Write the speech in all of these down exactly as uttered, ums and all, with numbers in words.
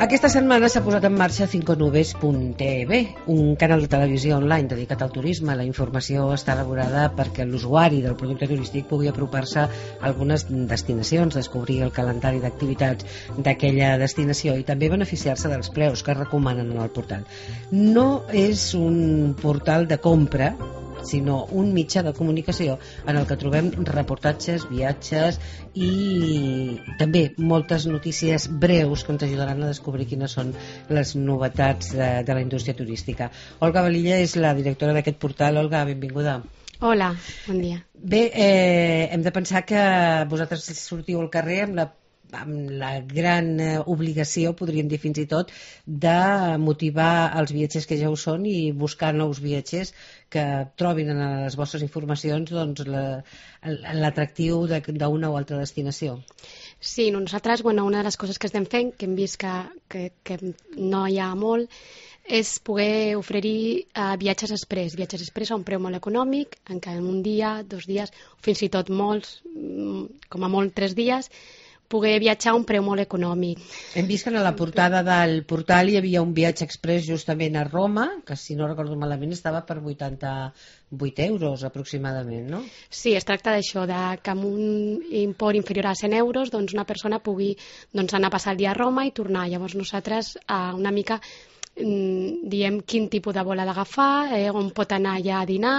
Aquesta setmana s'ha posat en marxa cinco nubes punt t v, un canal de televisió online dedicat al turisme. La informació està elaborada perquè l'usuari del producte turístic pugui apropar-se a algunes destinacions, descobrir el calendari d'activitats d'aquella destinació i també beneficiar-se dels preus que es recomanen en el portal. No és un portal de compra, sinó un mitjà de comunicació en el que trobem reportatges, viatges i també moltes notícies breus que ens ajudaran a descobrir quines són les novetats de, de la indústria turística. Olga Valilla és la directora d'aquest portal. Olga, benvinguda. Hola, bon dia. Bé, eh, hem de pensar que vosaltres sortiu al carrer amb la amb la gran obligació, podríem dir fins i tot, de motivar els viatgers que ja ho són i buscar nous viatgers que trobin en les vostres informacions doncs, l'atractiu d'una o altra destinació. Sí, nosaltres, bueno, una de les coses que estem fent, que hem vist que, que, que no hi ha molt, és poder oferir uh, viatges express, viatges express a un preu molt econòmic, en què en un dia, dos dies, fins i tot molts, com a molt tres dies, poder viatjar a un preu molt econòmic. Hem vist que a la portada del portal hi havia un viatge express justament a Roma, que si no recordo malament estava per vuitanta-vuit euros aproximadament, no? Sí, es tracta d'això, de que amb un import inferior a cent euros doncs una persona pugui doncs, anar a passar el dia a Roma i tornar. Llavors nosaltres eh, una mica diem quin tipus de vol ha d'agafar, eh, on pot anar allà a dinar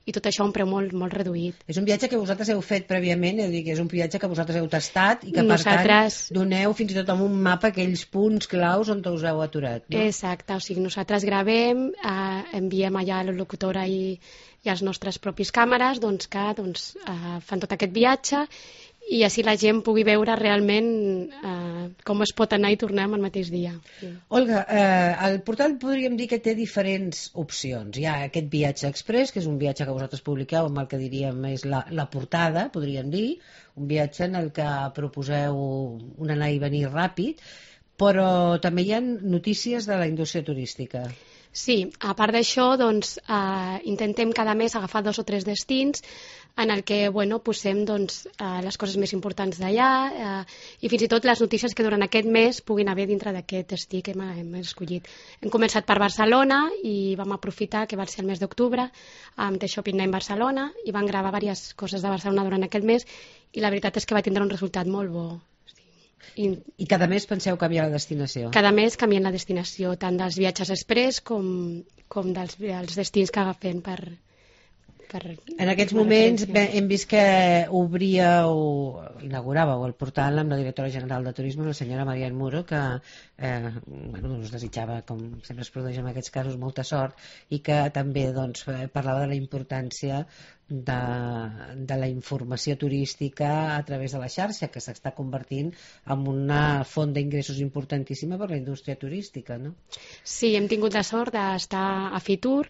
i tot això a un preu molt, molt reduït. És un viatge que vosaltres heu fet prèviament, és a dir, que és un viatge que vosaltres heu tastat i que nosaltres... per tant doneu fins i tot amb un mapa aquells punts claus on us heu aturat, no? Exacte, o sigui, nosaltres gravem, eh, enviem allà a la locutora i, i als nostres propis càmeres doncs, que doncs, eh, fan tot aquest viatge i així la gent pugui veure realment eh, com es pot anar i tornar en el mateix dia. Sí. Olga, eh, el portal podríem dir que té diferents opcions. Hi ha aquest viatge express, que és un viatge que vosaltres publiqueu amb el que diríem és la, la portada, podríem dir, un viatge en el que proposeu un anar i venir ràpid, però també hi ha notícies de la indústria turística. Sí, a part d'això, doncs, eh, intentem cada mes agafar dos o tres destins en el que bueno, posem doncs, eh, les coses més importants d'allà eh, i fins i tot les notícies que durant aquest mes puguin haver dintre d'aquest destí que hem, hem escollit. Hem començat per Barcelona i vam aprofitar que va ser el mes d'octubre amb The Shopping Night Barcelona i vam gravar diverses coses de Barcelona durant aquest mes i la veritat és que va tindre un resultat molt bo. I, I cada mes penseu canviar la destinació? Cada mes canviem la destinació, tant dels viatges express com, com dels, dels destins que agafem per... per en aquests moments hem vist que obríeu, inauguràveu el portal amb la directora general de Turisme, la senyora Marian Muro, que eh, bueno, us desitjava, com sempre es produeix en aquests casos, molta sort i que també doncs, parlava de la importància De, de la informació turística a través de la xarxa, que s'està convertint en una font d'ingressos importantíssima per la indústria turística, no? Sí, hem tingut la sort d'estar a Fitur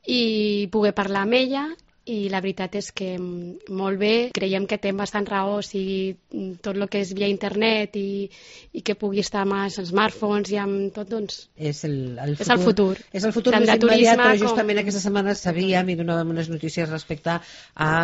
i poder parlar amb ella i la veritat és que molt bé, creiem que té bastant raó, o sigui, tot el que és via internet i, i que pugui estar amb els smartphones i amb tot, doncs és el, el futur, és el futur, és el futur més immediat, però justament com... aquesta setmana sabíem i donàvem unes notícies respecte a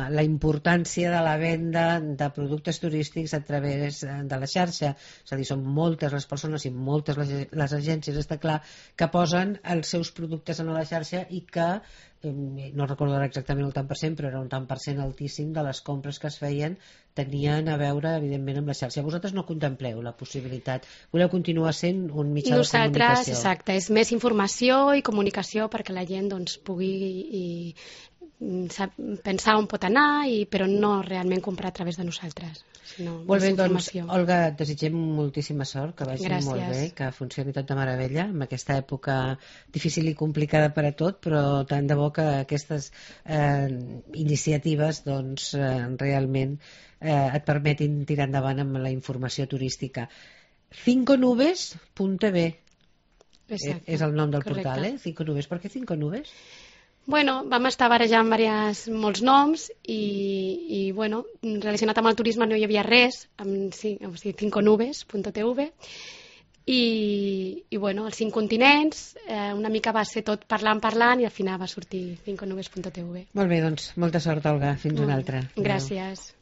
la importància de la venda de productes turístics a través de la xarxa, és a dir, són moltes les persones i moltes les, les agències, està clar, que posen els seus productes en la xarxa i que no recordo exactament el tant per cent, però era un tant per cent altíssim de les compres que es feien tenien a veure, evidentment, amb la xarxa. Vosaltres no contempleu la possibilitat, voleu continuar sent un mitjà Nosaltres, de comunicació? Exacte, és més informació i comunicació perquè la gent doncs, pugui i, sap, pensar on pot anar, i, però no realment comprar a través de nosaltres. Sinó molt bé, doncs, Olga, et desitgem moltíssima sort, que vagi Gràcies. Molt bé, que funcioni tot de meravella en aquesta època difícil i complicada per a tot, però tant de bo que aquestes eh, iniciatives doncs, eh, realment eh, et permetin tirar endavant amb la informació turística. cinco nubes punt t v Exacte, és el nom del correcte. portal, eh? cinco nubes. Per què cinco nubes? Bueno, vam estar barejant diverses, molts noms i, i bueno, relacionat amb el turisme no hi havia res, amb o sigui, cinco nubes punt t v i, i bueno, els cinc continents, eh, una mica va ser tot parlant, parlant i al final va sortir cinco nubes punt t v. Molt bé, doncs molta sort, Olga, fins una altra. Gràcies. Adeu.